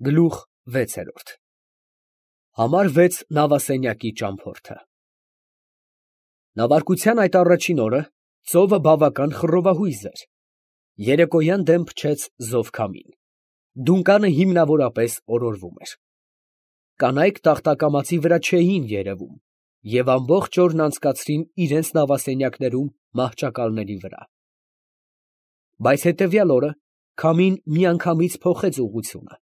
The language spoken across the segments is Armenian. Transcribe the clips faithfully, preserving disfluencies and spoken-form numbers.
Գլուխ վեցերորդ Համար վեց նավասենյակի ճամփորդը Նավարկության այդ առաջին օրը ծովը բավական խռովահույզ էր, երեկոյան դեմ փչեց զով քամին, դունկանը հիմնավորապես օրորվում էր, կանայք տախտակամածի վրա չէին երևում և ամբողջ օրն անցկացրին իրենց նավասենյակներում մահճակալների վրա, բայց հետևյալ օրը քամին միանգամից փոխեց ուղղությունը,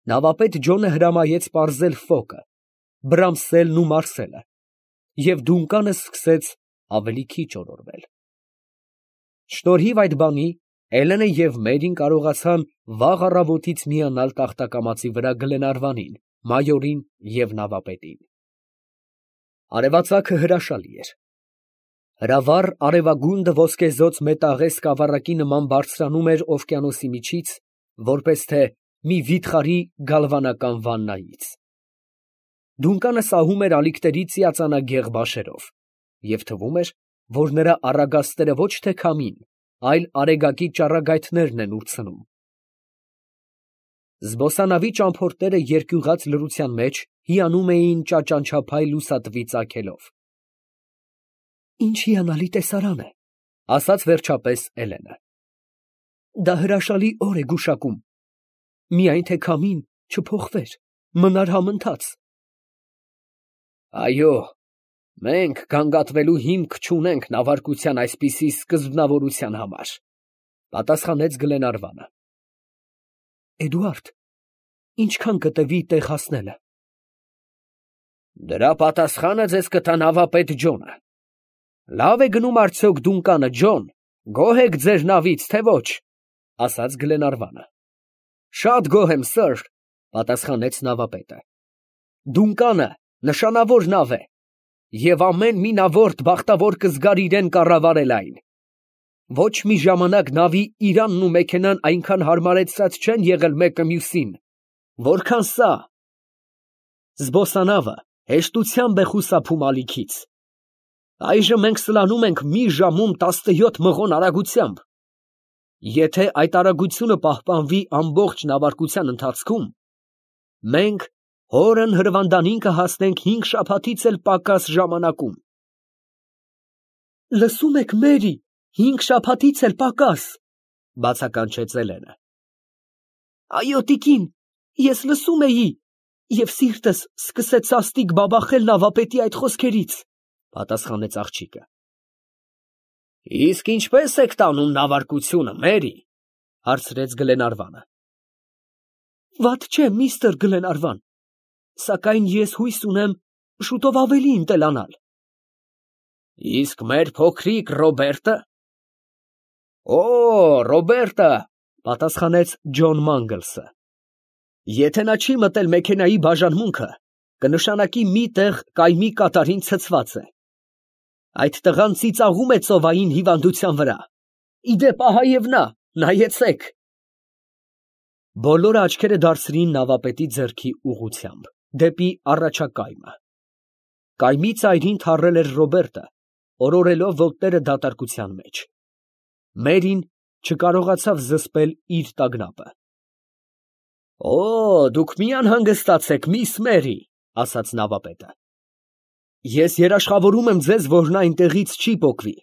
նավապետ Ջոնը հրամայեց պարզել ֆոկը, Բրամսելն ու Մարսելը, և դունկանը սկսեց ավելի քիչ օրորվել։ Շնորհիվ այդ բանի Էլենը և Մերին կարողացան վաղ առավոտից միանալ տախտակամածի վրա Գլենարվանին, մայորին և նավապետին։ Արևածագը հրաշալի էր։ Հրավառ արևագունդը ոսկեզօծ մետաղե սկավառակի նման բարձրանում էր օվկիանոսի միջից, որպես թե մի վիթխարի գալվանական վաննայից։ Դունկանը սահում էր ալիքների ծիածանագեղ բաշերով, և թվում էր, որ նրա առագաստերը ոչ թե քամին, այլ արեգակի ճառագայթներն են ուրցնում։ Զբոսանավի ճամփորդները երկյուղած լռության մեջ հիանում էին ճաճանչափայ լուսատվի ծագելով։ Ինչ հիանալի տեսարան է, ֊ ասաց վերջապես Էլենը։ Դա հրաշալի օր է գուշակում, միայն թե քամին չփոխվեր, մնար համընթաց։ Այո, մենք գանգատվելու հիմք չունենք նավարկության այսպիսի սկզբնավորության համար, ֊ պատասխանեց Գլենարվանը։ Էդուարդ, ինչքան կտևի տեղ հասնելը։ Դրա պատասխանը ձեզ կտա նավապետ Ջոնը։ Լավ է գնում արդյոք դունկանը, Ջոն, գոհ եք ձեր նավից, թե ոչ, ֊ ասաց Գլենարվանը։ Շատ գոհ եմ, սըր, ֊ պատասխանեց նավապետը։ Դունկանը նշանավոր նավ է, և ամեն մինավորդ բախտավոր կզգար իրեն կառավարել այն։ Ոչ մի ժամանակ նավի իրանն ու մեքենան այնքան հարմարեցած չեն եղել մեկը մյուսին, որքան սա։ Զբոսանավը հեշտությամբ է խուսափում ալիքից։ Այժմ մենք սլանում ենք մի ժամում տասնյոթ մղոն արագությամբ։ Եթե այդ արագությունը պահպանվի ամբողջ նավարկության ընթացքում, մենք հորն հրվանդանին կհասնենք հինգ շաբաթից էլ պակաս ժամանակում։ Լսում եք, Մերի, հինգ շաբաթից էլ պակաս, ֊ բացականչեց Էլենը։ Այո, տիկին, ես լսում էի, և սիրտս սկսեց սաստիկ բաբախել նավապետի այդ խոսքերից, ֊ պատասխանեց աղջիկը։ Իսկ ինչպե՞ս եք տանում նավարկությունը, Մերի, ֊ հարցրեց Գլենարվանը։ Վատ չէ, միստր Գլենարվան, սակայն ես հույս ունեմ շուտով ավելի ընտելանալ։ Իսկ մեր փոքրիկ Ռոբերտը։ Օ, Ռոբերտը, ֊ պատասխանեց Ջոն Մանգլսը։ Եթե նա չի մտել մեքենայի բաժանմունքը, կնշանակի մի տեղ կայմի կատարին ցցված է։ Այդ տղան ծիծաղում է ծովային հիվանդության վրա։ Իդեպ, ահա և նա, նայեցեք։ Բոլորը աչքերը դարձրին նավապետի ձեռքի ուղղությամբ, դեպի առաջակայմը։ Կայմի ծայրին թռել էր Ռոբերտը, օրորելով ոտները դատարկության մեջ։ Մերին չկարողացավ զսպել իր տագնապը։ Օ, դուք մի անհանգստացեք, միս Մերի, ֊ ասաց նավապետը։ Ես երաշխավորում եմ ձեզ, որ նա այնտեղից չի պոկվի։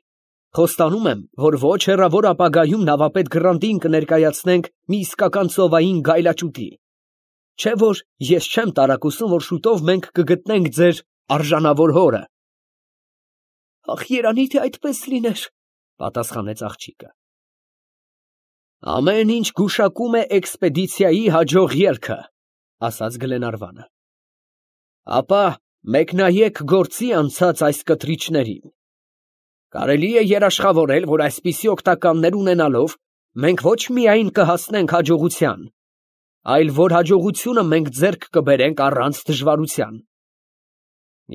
Խոստանում եմ, որ ոչ հեռավոր ապագայում նավապետ Գռանտին կներկայացնենք մի իսկական ծովային գայլաճուտի։ Չէ՞ որ ես չեմ տարակուսում, որ շուտով մենք կգտնենք ձեր արժանավոր հորը։ Ախ, երանի թե այդպես լիներ, ֊ պատասխանեց աղջիկը։ Ամեն ինչ գուշակում է էքսպեդիցիայի հաջող ելքը, ֊ ասաց Գլենարվանը։ Ապա մեկնայեք գործի անցած այս կտրիչներին։ Կարելի է երաշխավորել, որ այսպիսի օգտականներ ունենալով մենք ոչ միայն կհասնենք հաջողության, այլ որ հաջողությունը մենք ձեռք կբերենք առանց դժվարության։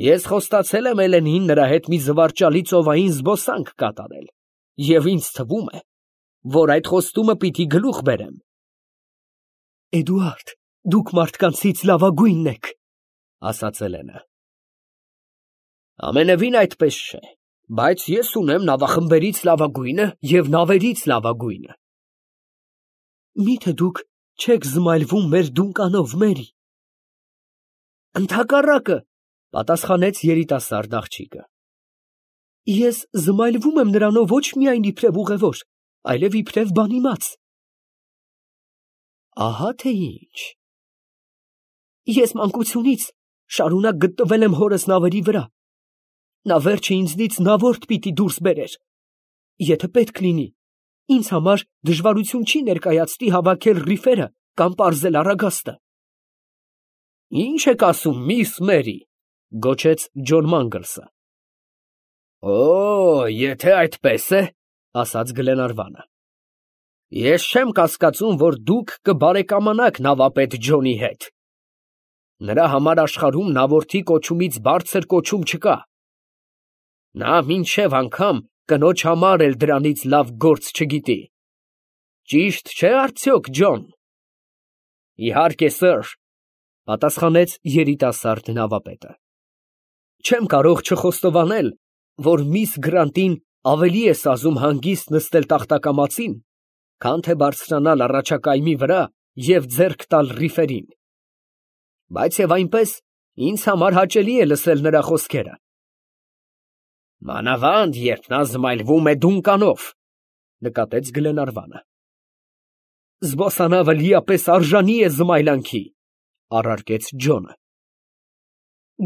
Ես խոստացել եմ Էլենին նրա հետ մի զվարճալի ծովային զբոսանք կատարել, և ինձ թվում է, որ այդ խոստումը պիտի գլուխ բերեմ։ Էդուարդ, դուք մարդկանցից լավագույնն եք, ֊ ասաց Էլենը։ Ամենևին այդպես չէ, բայց ես ունեմ նավախմբերից լավագույնը և նավերից լավագույնը։ Մի՞թե դուք չեք զմայլվում մեր դունկանով, Մերի։ Ընդհակառակը, պատասխանեց երիտասարդ աղջիկը։ Ես զմայլվում եմ նրանով ոչ միայն իբրև ուղևոր, այլև իբրև բանիմաց։ Ահա թե ինչ։ Ես մանկությունից շարունակ գտնվել եմ հորս նավերի վրա։ Նա վերջը ինձնից նավորդ պիտի դուրս բերեր։ Եթե պետք լինի, ինձ համար դժվարություն չի ներկայացնի հավաքել ռիֆերը կամ պարզել Արագաստը։ Ինչ եք ասում, միս Մերի, գոչեց Ջոն Մանգլսը։ Օ, եթե այդպես է, ասաց Գլենարվանը։ Ես չեմ կասկածում, որ դուք կբարեկամանաք նավապետ Ջոնի հետ։ Նրա համար աշխարհում նավորդի կոչումից բարձր կոչում չկա։ Նա մինչև անգամ կնոջ համար էլ դրանից լավ գործ չգիտի։ Ճիշտ չէ՞ արդյոք, Ջոն։ Իհարկե, սըր, պատասխանեց երիտասարդ նավապետը։ Չեմ կարող չխոստովանել, որ միս Գրանտին ավելի է սազում հանգիստ նստել տախտակամածին, քան թե բարձրանալ առաջակայմի վրա և ձեռք տալ ռիֆերին։ Բայց և այնպես ինձ համար հաճելի է լսել նրա խոսքերը։ Մանավանդ, երբ նա զմայլվում է դունկանով, նկատեց Գլենարվանը։ Զբոսանավը լիապես արժանի է զմայլանքի, առարկեց Ջոնը։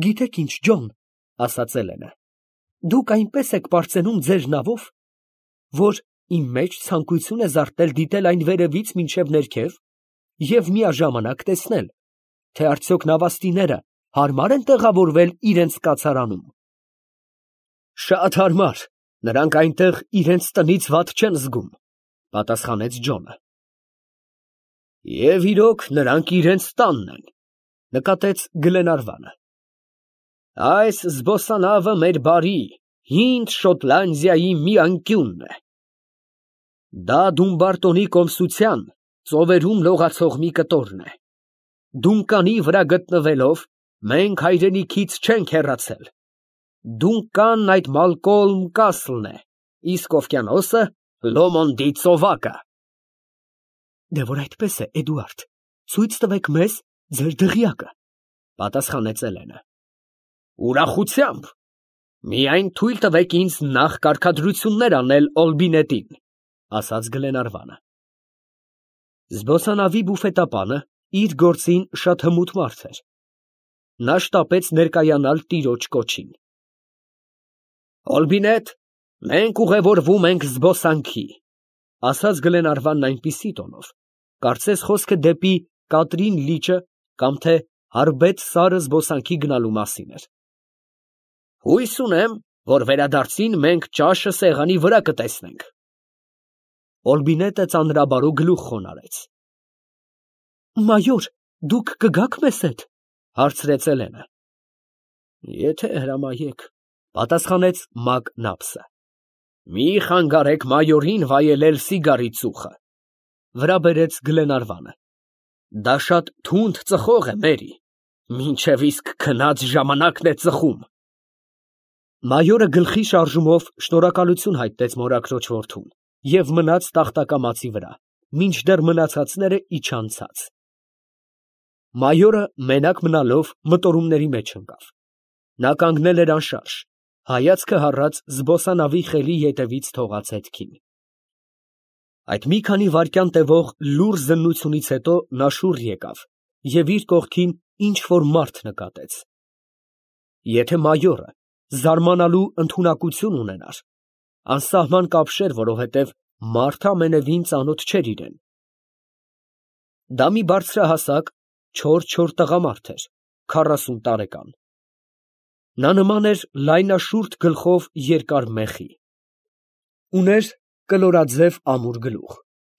Գիտեք ինչ, Ջոն, ասաց Էլենը, դուք այնպես եք պարծենում ձեր նավով, որ իմ մեջ ցանկություն է զարթնել դիտել այն վերևից մինչև ներքև և միաժամանակ տեսնել, թե արդյոք նավաստիները հարմար են տեղավորվել իրենց կացարանում։ Շատ հարմար, նրանք այնտեղ իրենց տնից վատ չեն զգում, պատասխանեց Ջոնը։ Եվ իրոք նրանք իրենց տանն են, նկատեց Գլենարվանը։ Այս զբոսանավը մեր բարի, հինդ Շոտլանդիայի մի անկյունն է։ Դա Դումբարտոնի կոմսության ծովերում լողացող մի կտորն է։ Դունկանի վրա գտնվելով մենք հայրենիքից չենք հեռացել։ Դունկանն այդ Մալկոլմ Կասլն է, իսկ օվկիանոսը Լոմոնդի ծովակը։ Դե որ այդպես է, Էդուարդ, ցույց տվեք մեզ ձեր դղյակը, պատասխանեց Էլենը։ Ուրախությամբ, միայն թույլ տվեք ինձ նախ կարգադրություններ անել Օլբինետին, ասաց Գլենարվանը։ Զբոսանավի բուֆետապանը իր գործին շատ հմուտ մարդ էր։ Նա շտապեց ներկայանալ տիրոջ կոչին։ Օլբինետ, մենք ուղևորվում ենք զբոսանքի, ասաց Գլենարվանն այնպիսի տոնով, կարծես խոսքը դեպի Կատրին լիճը կամ թե Հարբետ սարը զբոսանքի գնալու մասին էր։ Հույս ունեմ, որ վերադարձին մենք ճաշը սեղանի վրա կտեսնենք։ Օլբինետը ծանրաբարո գլուխ խոնարհեց։ Մայոր, դուք կգաք մեզ հետ, հարցրեց Էլենը։ Եթե հրամայեք, պատասխանեց Մակ Նափսը։ Մի խանգարեք մայորին վայելել սիգարի ծուխը, վրա բերեց Գլենարվանը։ Դա շատ թունդ ծխող է, Մերի, մինչև իսկ քնած ժամանակն է ծխում։ Մայորը գլխի շարժումով շնորհակալություն հայտնեց մորաքրոջ որդուն և մնաց տախտակամածի վրա, մինչդեռ մնացածները իջան ցած։ Մայորը մենակ մնալով մտորումների մեջ ընկավ։ Նա կանգնել էր անշարժ, հայացքը հառած զբոսանավի խելի ետևից թողած հետքին։ Այդ մի քանի վայրկյան տևող լուռ զննությունից հետո նա շուռ եկավ և իր կողքին ինչ֊որ մարդ նկատեց։ Եթե մայորը զարմանալու ընդունակություն ունենար, անսահման կապշեր, որովհետև մարդը ամենևին ծանոթ չէր իրեն։ Դա մի բարձրահասակ, չոր-չոր տղամարդ էր, քառասուն տարեկան։ Նա նման էր լայնաշուրթ գլխով երկար մեխի։ Ուներ կլորաձև ամուր գլուխ,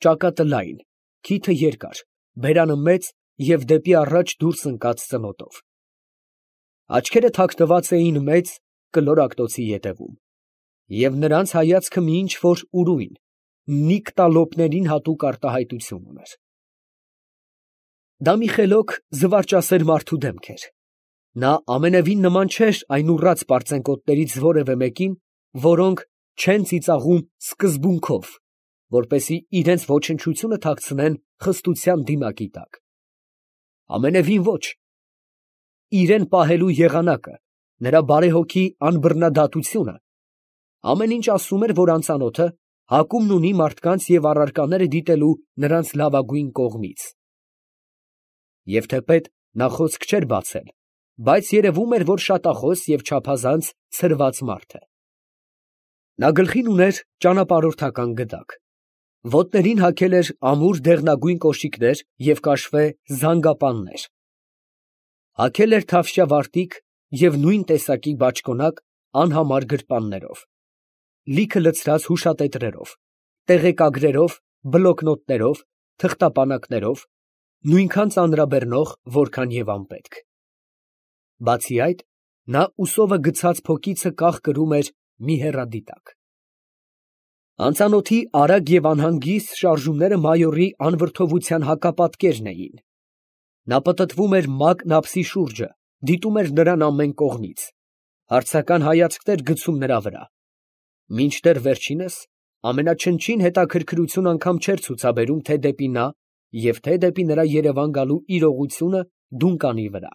ճակատը լայն, քիթը երկար, բերանը մեծ և դեպի առաջ դուրս ընկած ծնոտով։ Աչքերը թաքնված էին մեծ կլորակտոցի ետևում, և նրանց հայացքը մի ինչ֊որ ուրույն, նիկտալոպներին հատուկ արտահայտություն ուներ։ Դա մի խելոք զվարճասեր մարդու դեմք էր։ Նա ամենևին նման չէր այն ուռած պարծենկոտներից որևէ մեկին, որոնք չեն ծիծաղում սկզբունքով, որպեսզի իրենց ոչնչությունը թաքցնեն խստության դիմակի տակ։ Ամենևին ոչ. իրեն պահելու եղանակը, նրա բարեհոգի անբռնադատությունը, ամեն ինչ ասում էր, որ անծանոթը հակումն ունի մարդկանց և առարկաները դիտելու նրանց լավագույն կողմից։ Եվ թեպետ նա խոսք չէր բացել, բայց երևում էր, որ շատախոս և չափազանց ցրված մարդ է։ Նա գլխին ուներ ճանապարհորդական գդակ, ոտներին հագել էր ամուր դեղնագույն կոշիկներ և կաշվե զանգապաններ, հագել էր թավշյա վարտիք և նույն տեսակի բաճկոնակ անհամար գրպաններով, լիքը լցրած հուշատետրերով, տեղեկագրերով, բլոկնոտներով, թղթապանակներով, նույնքան ծանրաբեռնող, որքան և անպետք։ Բացի այդ, նա ուսովը գցած փոքիցը կախ կրում էր մի հեռադիտակ։ Անծանոթի արագ և անհանգիստ շարժումները մայորի անվրդովության հակապատկերն էին։ Նա պտտվում էր Մակն ափսի շուրջը, դիտում էր նրան ամեն կողմից, հարցական հայացքներ գցում նրա վրա, մինչդեռ վերջինս ամենաչնչին հետաքրքրություն անգամ չէր ցուցաբերում թե դեպի նա և թե դեպի նրա երևան գալու իրողությունը Դունկանի վրա։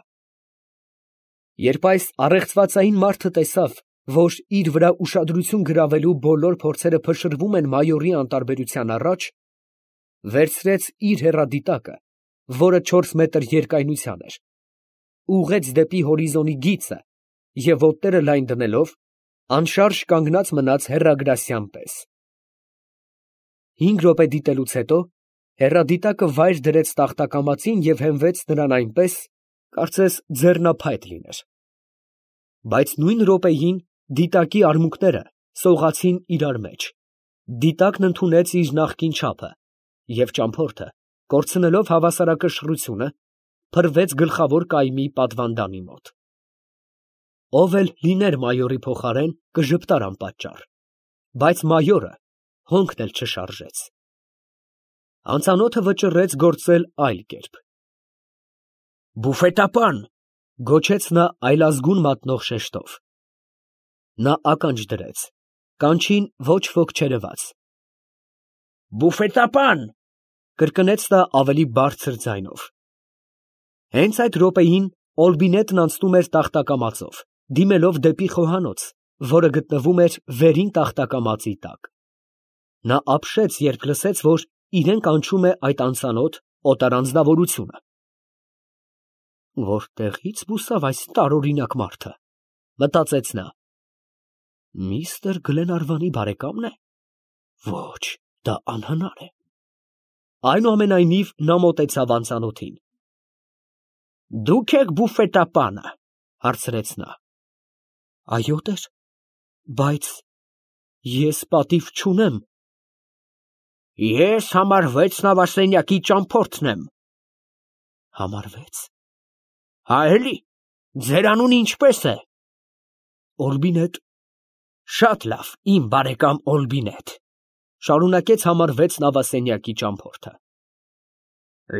Երբ այս առեղծվածային մարդը տեսավ, որ իր վրա ուշադրություն գրավելու բոլոր փորձերը փշրվում են մայորի անտարբերության առաջ, վերցրեց իր հեռադիտակը, որը չորս մետր երկայնության էր, ուղղեց դեպի հորիզոնի գիծը և ոտները լայն դնելով, անշարժ կանգնած մնաց հեռագրասյան պես։ Հինգ րոպե դիտելուց հետո հեռադիտակը վայր դրեց տախտակամածին և հենվեց նրան այնպես, կարծես ձեռնափայտ լիներ։ Բայց նույն րոպեին դիտակի արմունկները սողացին իրար մեջ, դիտակն ընդունեց իր նախկին չափը, և ճամփորդը, կորցնելով հավասարակշռությունը, փռվեց գլխավոր կայմի պատվանդանի մոտ։ Ով էլ լիներ մայորի փոխարեն, կժպտար անպատճառ, բայց մայորը հոնքն էլ չշարժեց։ Անծանոթը վճռեց գործել այլ կերպ։ «Բուֆետապան», գոչեց նա այլազգուն մատնող շեշտով։ Նա ականջ դրեց, կանչին ոչ ոք չերևաց։ «Բուֆետապան», կրկնեց նա ավելի բարձր ձայնով։ Հենց այդ րոպեին Օլբինետն անցնում էր տախտակամածով, դիմելով դեպի խոհանոց, որը գտնվում էր վերին տախտակամածի տակ։ Նա ապշեց, երբ լսեց, որ իրեն կանչում է այդ անծանոթ օտար անձնավորությունը։ Որտեղի՞ց բուսավ այս տարօրինակ մարդը, մտածեց նա։ Միստր Գլենարվանի բարեկամն է։ Ոչ, դա անհնար է։ Այնուամենայնիվ նա մոտեցավ անծանոթին։ Դուք եք բուֆետապանը, հարցրեց նա։ Այո, տեր, բայց ես պատիվ չունեմ։ Ես համարվեց նավասենյակի ճամփորդն եմ։ Համարվեց։ Հա էլի, ձեր անունը ինչպես է։ Օլբինետ։ Շատ լավ, իմ բարեկամ Օլբինետ, շարունակեց համարվեց նավասենյակի ճամփորդը։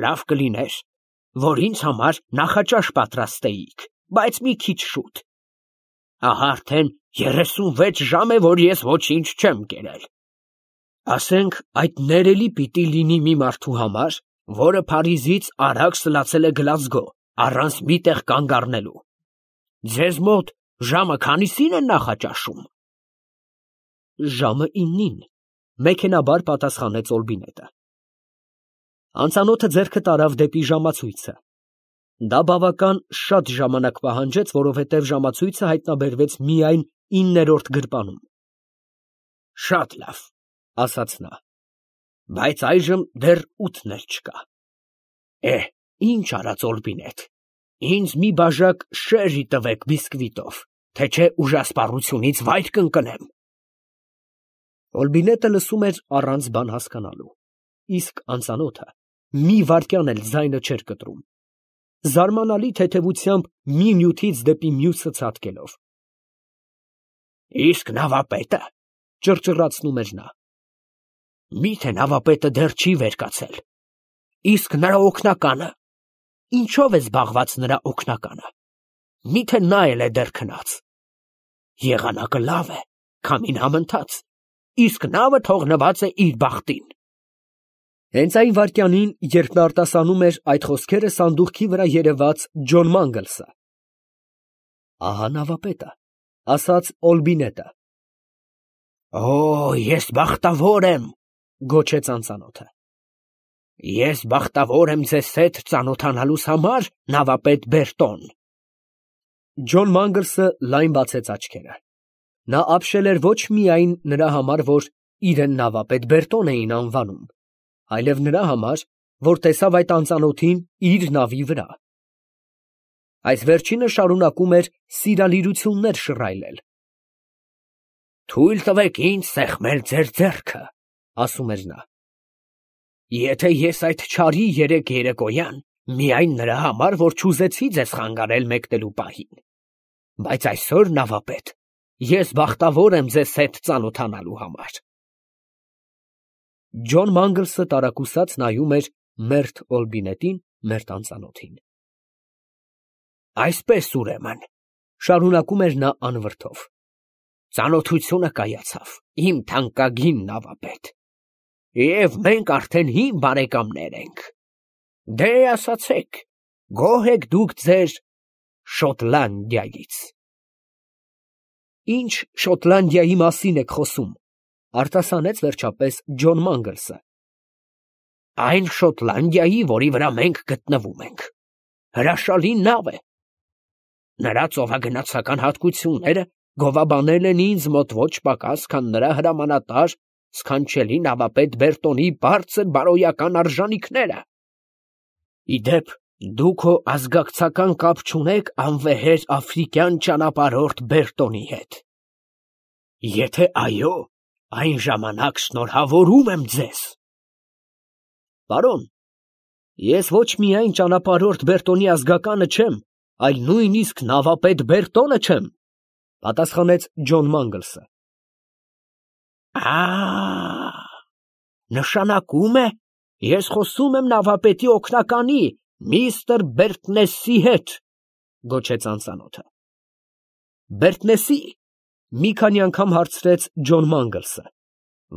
Լավ կլիներ, որ ինձ համար նախաճաշ պատրաստեիք, բայց մի քիչ շուտ։ Ահա արդեն երեսունվեց ժամ է, որ ես ոչինչ չեմ կերել։ Ասենք այդ ներելի պիտի լինի մի մարդու համար, որը Փարիզից արագ սլացել է Գլազգո, առանց մի տեղ կանգ առնելու։ Ձեզ մոտ ժամը քանիսին են նախաճաշում։ Ժամը իննին, մեքենաբար պատասխանեց Օլբինետը։ Անծանոթը ձեռքը տարավ դեպի ժամացույցը։ Դա բավական շատ ժամանակ պահանջեց, որովհետև ժամացույցը հայտնաբերվեց միայն իններորդ գրպանում։ Շատ լավ, ասաց նա, բայց այժմ դեռ ութն էլ չկա։ Է, ինչ արած Օլբինետ, ինձ մի բաժակ շերի տվեք բիսկվիտով, թե չէ ուժասպառությունից վայր կընկնեմ։ Օլբինետը լսում էր առանց բան հասկանալու, իսկ անծանոթը մի վայրկյան էլ ձայնը չէր կտրում, զարմանալի թեթևությամբ մի նյութից դեպի մյուսը ցատկելով։ Իսկ նավապետը, ճռճռացնում էր նա։ Միթե նավապետը դեռ չի վեր կացել։ Իսկ նրա օգնականը, ինչով է զբաղված նրա օգնականը։ Միթե նա էլ է դեռ քնած։ Եղանակը լավ է, քամին համընթաց, իսկ նավը թողնված է իր բախտին։ Հենց այն վայրկյանին, երբ նա արտասանում էր այդ խոսքերը, սանդուղքի վրա երևաց Ջոն Մանգլսը։ Ահա նավապետը, ասաց Օլբինետը։ Օ, ես բախտավոր եմ, գոչեց անծանոթը։ Ես բախտավոր եմ ձեզ հետ ծանոթանալուս համար, նավապետ Բերտոն։ Ջոն Մանգլսը լայն բացեց աչքերը։ Նա ապշել էր ոչ միայն նրա համար, որ իրեն նավապետ Բերտոն էին անվանում, այլև նրա համար, որ տեսավ այդ անծանոթին իր նավի վրա։ Այս վերջինը շարունակում էր սիրալիրություններ շռայլել։ Թույլ տվեք ինձ սեղմել ձեր ձեռքը, ասում էր նա։ Եթե ես այդ չարի երեք երեկոյան միայն նրա համար, որ չուզեցի ձեզ խանգարել մեկնելու պահին, բայց այսօր, նավապետ, ես բախտավոր եմ ձեզ հետ ծանոթանալու համար։ Ջոն Մանգլսը տարակուսած նայում էր մերթ Օլբինետին, մերթ անծանոթին։ Այսպես ուրեմն, շարունակում էր նա անվրդով, ծանոթությունը կայացավ, իմ թանկագին նավապետ, և մենք արդեն հին բարեկամներ ենք։ Դե ասացեք, գոհ եք դուք ձեր Շոտլանդիայից։ Ինչ Շոտլանդիայի մասին եք խոսում, արտասանեց վերջապես Ջոն Մանգլսը։ Այն Շոտլանդիայի, որի վրա մենք գտնվում ենք, հրաշալի նավ է։ Նրա ծովագնացական հատկությունները գովաբանել են ինձ մոտ ոչ պակաս, քան նրա հրամանատար սքանչելի նավապետ Բերտոնի բարձր բարոյական արժանիքները։ Իդեպ, դուք հո ազգակցական կապ չունեք անվեհեր աֆրիկյան ճանապարհորդ Բերտոնի հետ։ Եթե այո, այն ժամանակ շնորհավորում եմ ձեզ։ Պարոն, ես ոչ միայն ճանապարհորդ Բերտոնի ազգականը չեմ, այլ նույնիսկ նավապետ Բերտոնը չեմ, պատասխանեց Ջոն Մանգլսը։ Ա, նշանակում է, ես խոսում եմ նավապետի օգնականի, միստր Բերտնեսի հետ, գոչեց անծանոթը։ Բերտնեսի, մի քանի անգամ հարցրեց Ջոն Մանգլսը,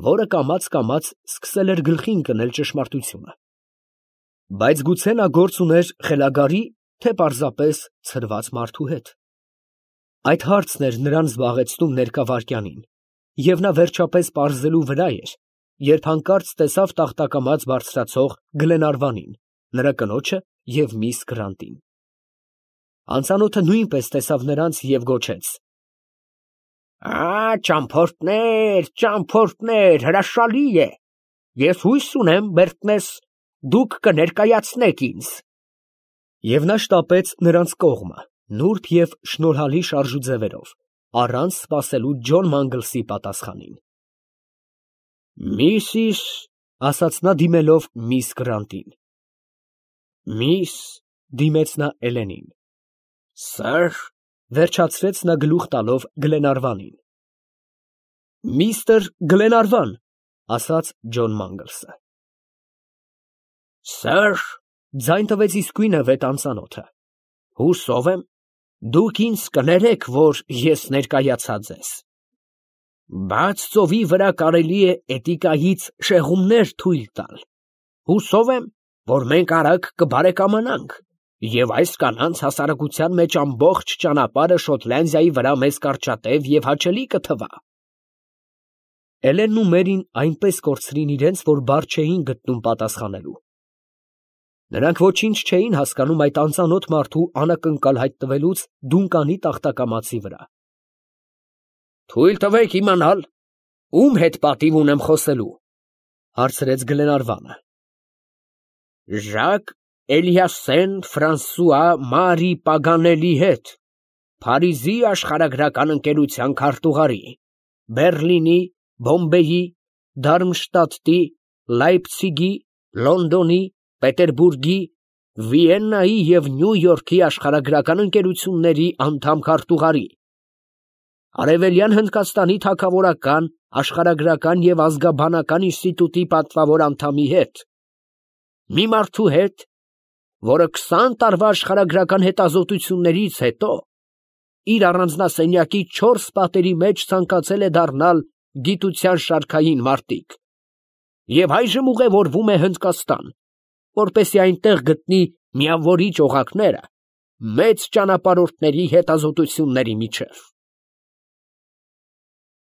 որը կամաց-կամաց սկսել էր գլխի ընկնել ճշմարտությունը։ Բայց գուցե նա գործ ուներ խելագարի, թե պարզապես ցրված մարդու հետ։ Այդ հարցն էր նրան զբաղեցնում ներկա վայրկյանին, և նա վերջապես պարզելու վրա էր, երբ հանկարծ տեսավ տախտակամած բարձրացող Գլենարվանին, նրա կնոջը և միս Գրանտին։ Անծանոթը նույնպես տեսավ նրանց և գոչեց. Ա, ճամփորդներ, ճամփորդներ, հրաշալի է։ Ես հույս ունեմ, Բերտնես, դուք կներկայացնեք ինձ։ Եվ նա շտապեց նրանց կողմը, նուրբ և շնորհալի շարժուձևերով, առանց սպասելու Ջոն Մանգլսի պատասխանին։ Միսիս, ասաց նա դիմելով միս Գրանտին։ Միս, դիմեց նա Էլենին։ Սըր, վերջացրեց նա գլուխ տալով Գլենարվանին։ Միստր Գլենարվան, ասաց Ջոն Մանգլսը։ Սըր, ձայն տվեց իսկույնը վետ անծանոթը։ Հուսով եմ, դուք ինձ կներեք, որ ես ներկայացա ձեզ։ Բաց ծովի վրա կարելի է էտիկայից շեղումներ թույլ տալ։ Հուսով եմ, որ մենք արագ կբարեկամանանք, և այս կանանց հասարակության մեջ ամբողջ ճանապարհը Շոտլանդիայի վրա մեզ կարճատև և հաճելի կթվա։ Էլենն ու Մերին այնպես կորցրին իրենց, որ բառ չէին գտնում պատասխանելու։ Նրանք ոչինչ չէին հասկանում այդ անծանոթ մարդու անակնկալ հայտնվելուց Դունկանի տախտակամածի վրա։ Թույլ տվեք իմանալ, ում հետ պատիվ ունեմ խոսելու, հարցրեց Գլենարվանը։ Ժակ Էլիասեն Ֆրանսուଆ Մարի Պագանելի հետ, Փարիզի աշխարհագրական ընկերության քարտուղարի, Բերլինի, Բոմբեյի, Դարմշտադտի, Լայպցիգի, Լոնդոնի, Պետերբուրգի, Վիեննայի և Նյու Յորքի աշխարհագրական ընկերությունների անդամ քարտուղարի, Արևելյան Հնդկաստանի թագավորական, աշխարհագրական և ազգաբանական ինստիտուտի պատվավոր անդամի հետ, մի մարդու հետ, որը քսան տարվա աշխարհագրական հետազոտություններից հետո իր առանձնասենյակի չորս պատերի մեջ ցանկացել է դառնալ գիտության շարքային մարտիկ, և այժմ ուղևորվում է Հնդկաստան, որպեսզի այնտեղ գտնի միավորիչ օղակները մեծ ճանապարհորդների հետազոտությունների միջև։